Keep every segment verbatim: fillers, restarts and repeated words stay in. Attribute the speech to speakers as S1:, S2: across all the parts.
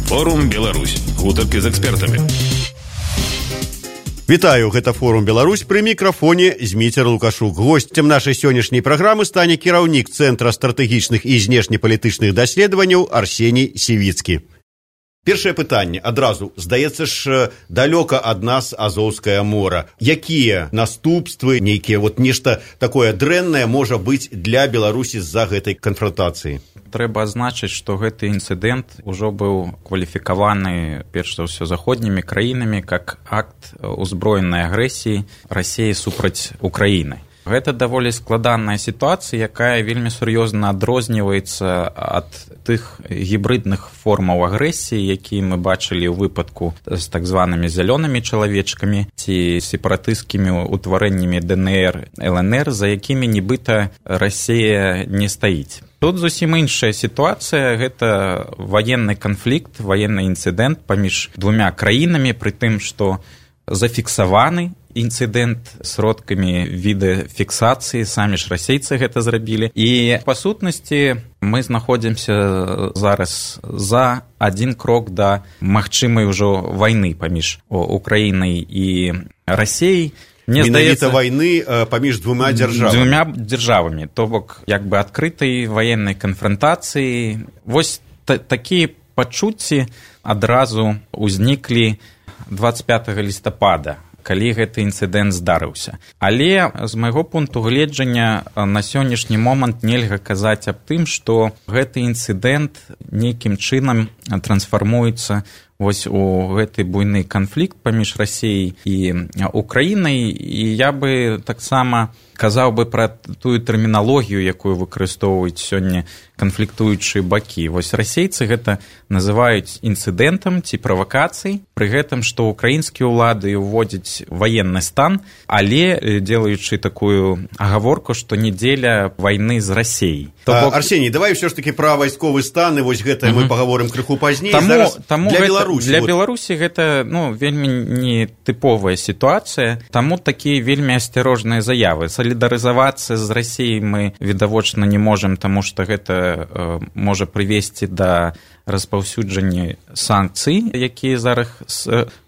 S1: Форум Беларусь. Гутаркі з экспертамі.
S2: Вітаю, гэта Форум Беларусь, пры мікрафоне Зміцер Лукашук. Госцем нашай сённяшняй праграмы стане кіраўнік Цэнтра стратэгічных і знешнепалітычных даследаванняў Арсеній Сівіцкі. Першае пытанне адразу. Здаецца ж, далёка ад нас Азоўскае мора. Якія наступствы, нейкія вот нешта такое дрэннае можа быць для Беларусі з-за гэтай канфронтацыі?
S3: Трэба адзначыць, што гэты інцыдэнт ужо быў кваліфікаваны, перш за ўсё, заходнімі краінамі як акт узброенай агрэсіі Расіі супраць Украіны. Гэта даволі складаная сітуацыя, якая вельмі сур'ёзна адрозніваецца ад тых гібрыдных формаў агрэсіі, якія мы бачылі ў выпадку з так званымі зялёнымі чалавечкамі ці сепаратысцкімі ўтварэннямі ДНР, ЛНР, за якімі нібыта Расія не стаіць. Тут зусім іншая сітуацыя, гэта ваенны канфлікт, ваенны інцыдэнт паміж двумя краінамі, пры тым, што зафіксаваны інцыдэнт сродкамі відэафіксацыі, самі ж расейцы гэта зрабілі. І, па сутнасці, мы знаходзімся зараз за адзін крок да магчымай ужо вайны паміж Украінай і Расіяй.
S2: Мне здаецца, вайны паміж двума дзяржавамі.
S3: Двума дзяржавамі, то бок, як бы адкрытай ваеннай канфронтацыі. Вось та- такія пачуцці адразу ўзніклі дваццаць пятага лістапада, калі гэты інцыдэнт здарыўся. Але з майго пункту гледжання на сённяшні момант нельга казаць аб тым, што гэты інцыдэнт нейкім чынам трансфармуецца вось у гэты буйны канфлікт паміж Расіяй і Украінай. І я бы таксама казаў бы пра тую тэрміналогію, якую выкарыстоўваюць сёння канфліктуючыя бакі. Вось расейцы гэта называюць інцыдэнтам ці правакацыяй, пры гэтым, што украінскія ўлады ўводзяць ваенны стан, але делаючы такую агаворку, што не дзеля вайны з Расіяй.
S2: Бок... Арсеній, давай ўсё ж такі пра вайсковы стан, і вось гэта uh-huh. мы пагаворым крыху пазней.
S3: Таму,
S2: Зараз
S3: таму
S2: для
S3: гэта,
S2: Беларусі.
S3: Для
S2: вот.
S3: Беларусі гэта ну, вельмі нетыповая сітуацыя, таму такія вельмі асцярожныя заявы. Салідарызавацца з Расіяй мы відавочна не можам, таму што гэта э, можа прывесці да распаўсюджання санкцый, якія зараз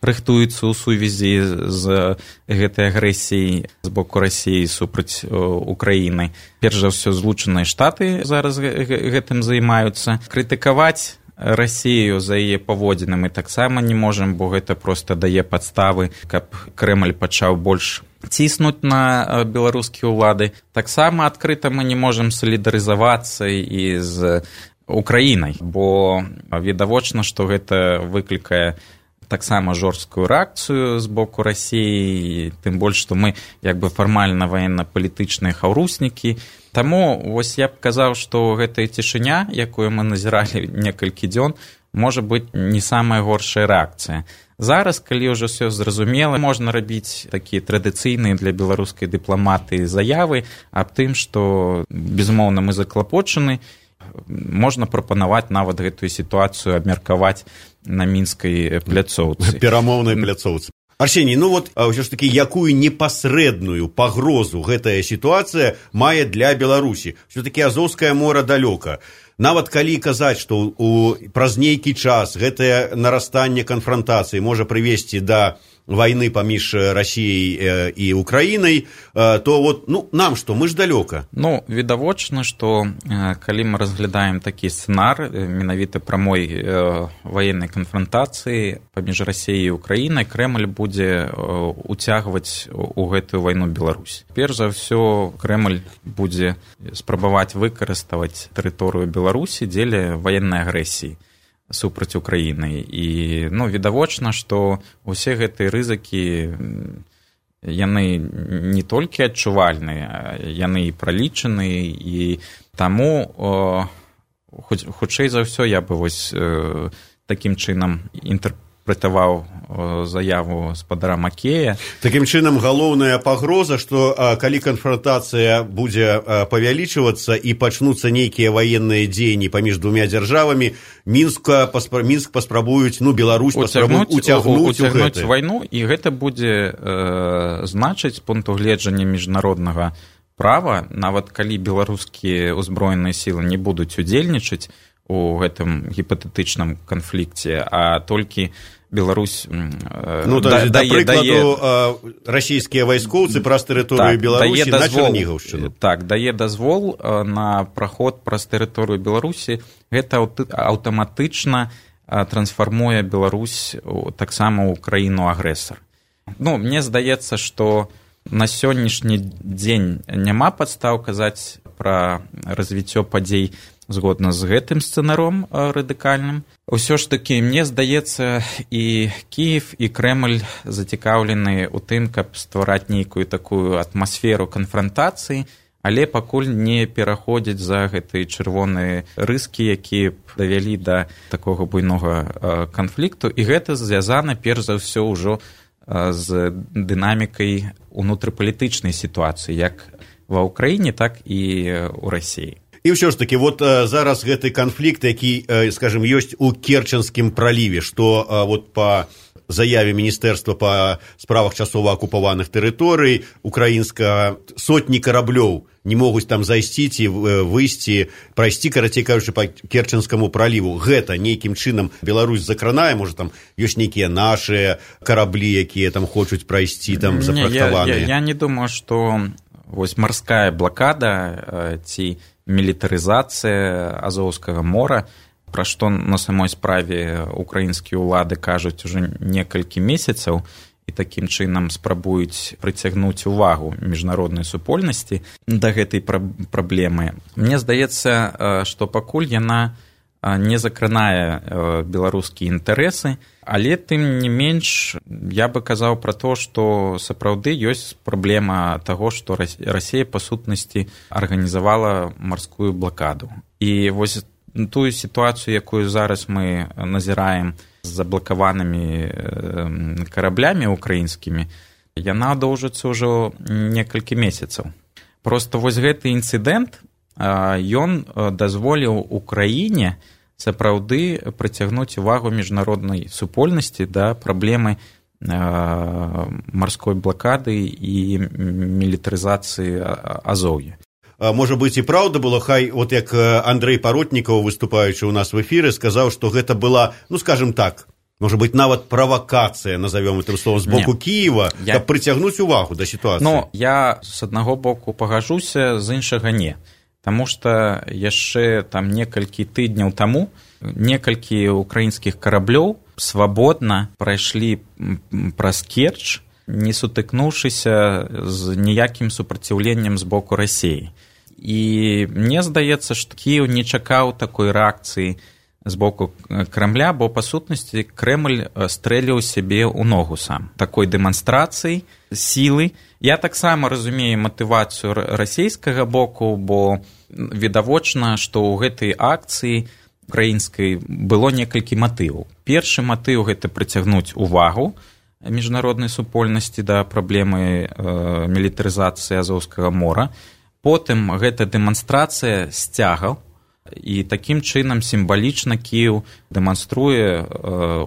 S3: рыхтуюцца ў сувязі з гэтай агрэсіяй з боку Расіі супраць Украіны. Перш за ўсё, Злучаныя Штаты зараз гэтым займаюцца. Крытыкаваць Расію за яе паводзіны мы таксама не можам, бо гэта проста дае падставы, каб Крэмль пачаў больш ціснуць на беларускія ўлады. Таксама адкрыта мы не можам салідарызавацца і з Украінай, бо відавочна, што гэта выклікае таксама жорсткую рэакцыю з боку Расіі, тым больш, што мы як бы фармальна ваенна-палітычныя хаўруснікі. Таму вось я б казаў, што гэтая цішыня, якую мы назіралі некалькі дзён, можа быць не самая горшая рэакцыя. Зараз, калі ўжо ўсё зразумела, можна рабіць такія традыцыйныя для беларускай дыпламатыі заявы аб тым, што, безумоўна, мы заклапочаны, можна прапанаваць нават гэтую сітуацыю абмеркаваць на мінскай пляцоўцы.
S2: Перамоўнай пляцоўцы. Арсеній, ну вот ўсё ж такі, якую непасрэдную пагрозу гэтая сітуацыя мае для Беларусі? Все-таки Азоўскае мора далёка. Нават калі казаць, што у, праз нейкі час гэтае нарастанне канфронтацыі можа прывесці да вайны паміж Расіяй і Украінай, то вот, ну, нам што, мы ж далёка.
S3: Ну, відавочна, што калі мы разглядаем такі сцэнар менавіта прамой ваеннай канфронтацыі паміж Расіяй і Украінай, Крэмль будзе уцягваць у гэтую вайну Беларусь. Перш за ўсё, Крэмль будзе спрабаваць выкарыставаць тэрыторыю Беларусі дзеля ваеннай агрэсіі супраць Украіны. І, ну, відавочна, што ўсе гэтыя рызыкі, яны не толькі адчувальныя, яны і пралічаны, і таму, о, хутчэй за ўсё, я бы вось э, такім чынам інтэрпрэтаваў заяву спадара Макея.
S2: Такім чынам, галоўная пагроза, што калі канфронтацыя будзе павялічвацца і пачнуцца нейкія ваенныя дзеянні паміж двумя дзяржавамі, Мінска, паспра... Мінск паспрабуюць, ну, Беларусь паспрабуюць уцягнуць у
S3: гэта. Вайну, і гэта будзе э, значыць з пункту гледжання міжнароднага права, нават калі беларускія ўзброеныя сілы не будуць удзельнічаць у гэтым гіпатэтычным канфлікце, а толькі Беларусь
S2: ну, да, да, да прыкладу дае... расійскія вайскоўцы праз тэрыторыю так, Беларусі на Чарнігаўшчыну.
S3: Так, дае дазвол на праход праз тэрыторыю Беларусі. Гэта аўтаматычна трансфармуе Беларусь таксама ў краіну-агрэсар. Ну, мне здаецца, што на сённяшні дзень няма падстаў казаць пра развіццё падзей згодна з гэтым сцэнаром радыкальным. Усё ж такі, мне здаецца, і Кіев, і Крэмль зацікаўлены ў тым, каб ствараць нейкую такую атмасферу канфрантацыі, але пакуль не пераходзіць за гэтыя чырвоныя рыскі, якія б давялі да такога буйнога канфлікту. І гэта звязана, перш за ўсё, ўжо з дынамікай унутрыпалітычнай сітуацыі, як ва ўкраіне, так і ў Расіі.
S2: І ўсё ж такі, вот зараз гэты канфлікт, які, скажем, ёсць у Керченскім праліве, што вот па заяве Міністэрства па справах часова акупаваных тэрыторый украінска сотні караблёў не могуць там зайсці ці выйсці, прайсці, карацей кажучы, па Керченскаму праліву. Гэта нейкім чынам Беларусь закранае, можа, там ёсць нейкія нашыя караблі, якія там хочуць прайсці, там запрактаваныя.
S3: Я, я, я не думаю, што вось марская блакада ці мілітарызацыя Азоўскага мора, пра што на самой справе украінскія ўлады кажуць ужо некалькі месяцаў і такім чынам спрабуюць прыцягнуць увагу міжнароднай супольнасці да гэтай праблемы. Мне здаецца, што пакуль яна не закранае беларускія інтарэсы, але тым не менш я бы казаў пра то, што сапраўды ёсць праблема таго, што Расія па сутнасці арганізавала марскую блакаду. І вось тую сітуацыю, якую зараз мы назіраем з заблакаванымі караблямі украінскімі, яна доўжыцца ўжо некалькі месяцаў. Проста вось гэты інцыдэнт, ён дазволіў Украіне сапраўды прыцягнуць увагу міжнароднай супольнасці да праблемы марской блакады і мілітарызацыі Азоўя.
S2: Можа быць, і праўда было, хай, от як Андрэй Паротнікаў, выступаючы ў нас в эфіры, сказаў, што гэта была, ну, скажем так, можа быць, нават правакацыя, назовём гэтым словом, з боку Кіева, я... каб прыцягнуць увагу да сітуацыі.
S3: Ну, я з аднаго боку пагажуся, з іншага не. Таму што яшчэ там некалькі тыдняў таму некалькі украінскіх караблёў свабодна прайшлі праз Керчь, не сутыкнуўшыся з ніякім супраціўленнем з боку Расіі. І мне здаецца, што Кіеў не чакаў такой рэакцыі з боку Крамля, бо, па сутнасці, Крэмль стрэліў сябе ў ногу сам. Такой дэманстрацыі сілы. Я таксама разумею матывацыю расійскага боку, бо відавочна, што ў гэтай акцыі украінскай было некалькі матываў. Першы матыў – гэта прыцягнуць увагу міжнароднай супольнасці да праблемы э, мілітарызацыі Азоўскага мора. Потым гэта дэманстрацыя сцягаў, і такім чынам сімвалічна Кіеў дэманструе э,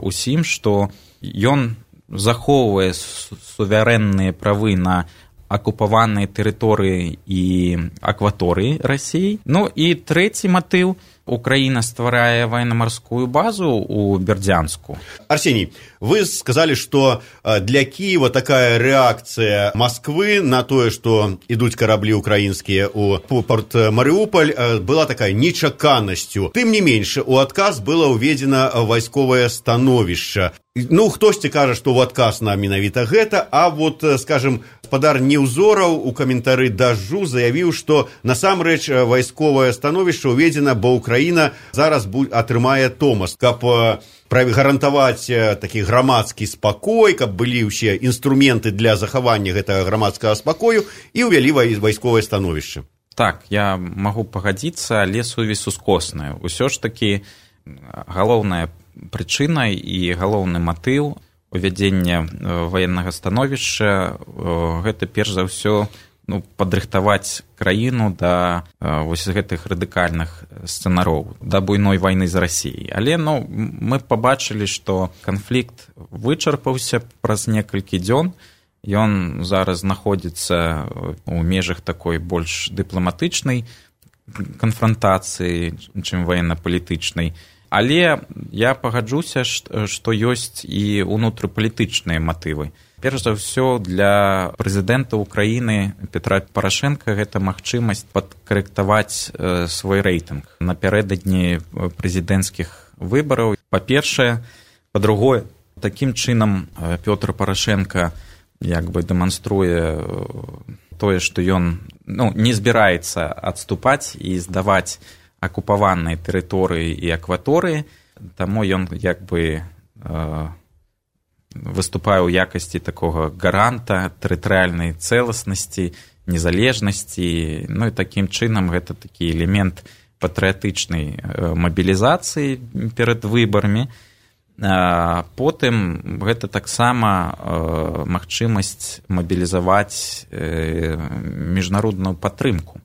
S3: усім, што ён захоўвае суверэнныя правы на акупаваныя тэрыторыі і акваторыі Расіі. Ну і трэці матыў – Украина стварае военно-морскую базу у Бердянску.
S2: Арсений, вы сказали, что для Киева такая реакция Москвы на то, что идут корабли украинские у порт Марыуполь, была такая нечаканностью. Тым не меньше, у адказ было уведено вайсковое становішча. Ну, хтосьці кажа, што ў адказ на менавіта гэта, а вот, скажем, гаспадар Неўзораў у каментары дажджу заявіў, што насамрэч вайсковае становішча ўведзена, бо Украіна зараз атрымае Томас, каб гарантаваць такі грамадскі спакой, каб былі ўсе інструменты для захавання гэтага грамадскага спакою і ўвялі вайсковае становішча.
S3: Так, я магу пагадзіцца, але сувязь ускосная. Усё ж такі галоўная прычына і галоўны матыў увядзення ваеннага становішча гэта перш за ўсё ну, падрыхтаваць краіну да вось гэтых радыкальных сцэнароў, да буйной вайны з Расіяй. Але ну, мы пабачылі, што канфлікт вычарпаўся праз некалькі дзён. Ён зараз знаходзіцца ў межах такой больш дыпламатычнай канфрантацыі, чым ваенна-палітычнай. Але я пагаджуся, што ёсць і ўнутрыпалітычныя матывы. Перш за ўсё, для прэзідэнта Украіны Петра Парашэнка гэта магчымасць падкарэктаваць свой рэйтынг напярэдадні прэзідэнцкіх выбараў. Па-першае, па-другое, такім чынам Пётр Парашэнка як бы дэманструе тое, што ён ну, не збіраецца адступаць і здаваць акупаваныя тэрыторыі і акваторыі, таму ён як бы э, выступае ў якасці такога гаранта тэрытарыяльнай цэласнасці, незалежнасці, ну і такім чынам гэта такі элемент патрыятычнай э, мабілізацыі перад выбарамі. А потым гэта таксама э, магчымасць мабілізаваць э, міжнародную падтрымку.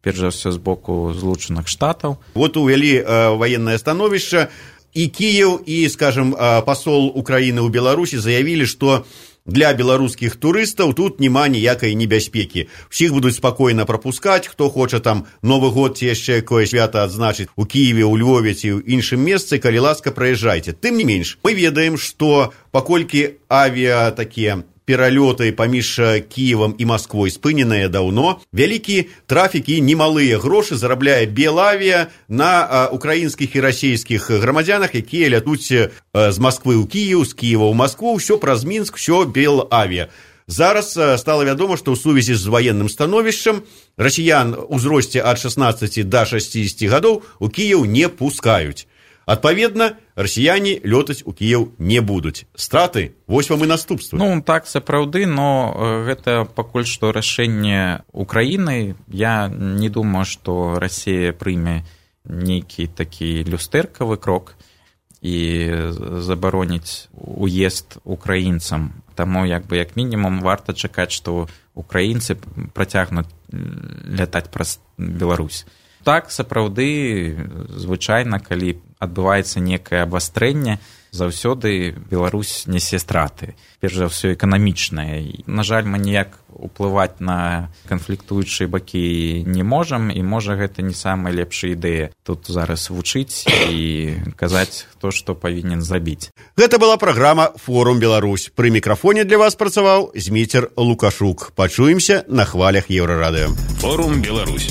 S3: Перш за ўсё з боку Злучаных Штатаў.
S2: Вот увялі э, военное становішча, і Кіев, і, скажем, э, пасол Украіны ў Беларусі заявілі, што для беларускіх турыстаў тут няма ніякай небяспекі. Усіх будуць спакойна прапускаць, хто хоча там Новы год ці яшчэ якое свята адзначыць у Кіеве, у Львове ці ў іншым месцы, калі ласка, праязджайце. Тым не менш, мы ведаем, што паколькі авіа такія пералёты паміж Кіевам і Масквой спыненыя даўно, вялікі трафік і немалыя грошы зарабляе Белавія на украінскіх і расійскіх грамадзянах, якія лятуць з Масквы ў Кіев, з Кіева ў Маскву, ўсё праз Мінск, ўсё Белавія. Зараз стала вядома, што ў сувязі з ваенным становішчам расіян у ўзросце ад шаснаццаці да шасцідзесяці гадоў у Кіев не пускаюць. Адпаведна, расіяне лётаць у Кіев не будуць. Страты, вось вам і наступствы.
S3: Ну, так, сапраўды, но гэта пакуль што рашэнне Украіны. Я не думаю, што Расія прыме нейкі такі люстэркавы крок і забароніць уезд украінцам. Таму, як бы, як мінімум, варта чакаць, што украінцы працягнуць лятаць праз Беларусь. Так, сапраўды, звычайна, калі адбываецца некае абвастрэнне, заўсёды Беларусь нясе страты. Перш за ўсё эканамічнае. На жаль, мы ніяк уплываць на канфліктуючыя бакі не можам, і можа гэта не самая лепшая ідэя тут зараз вучыць і казаць, хто што павінен зрабіць.
S2: Гэта была праграма «Форум Беларусь». Пры мікрафоне для вас працаваў Зміцер Лукашук. Пачуемся на хвалях Еўрарадыё.
S1: «Форум Беларусь».